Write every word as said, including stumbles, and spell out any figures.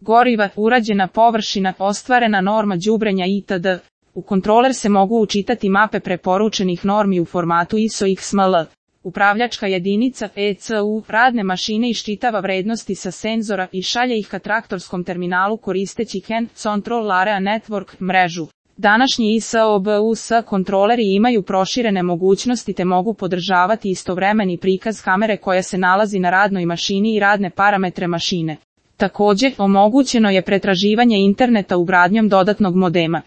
goriva, urađena površina, ostvarena norma đubrenja itd. U kontroler se mogu učitati mape preporučenih normi u formatu I S O X M L. Upravljačka jedinica E C U radne mašine iščitava vrednosti sa senzora i šalje ih ka traktorskom terminalu koristeći Hand Control Area Network mrežu. Današnji I S O B U S kontroleri imaju proširene mogućnosti te mogu podržavati istovremeni prikaz kamere koja se nalazi na radnoj mašini i radne parametre mašine. Također, omogućeno je pretraživanje interneta ugradnjom dodatnog modema.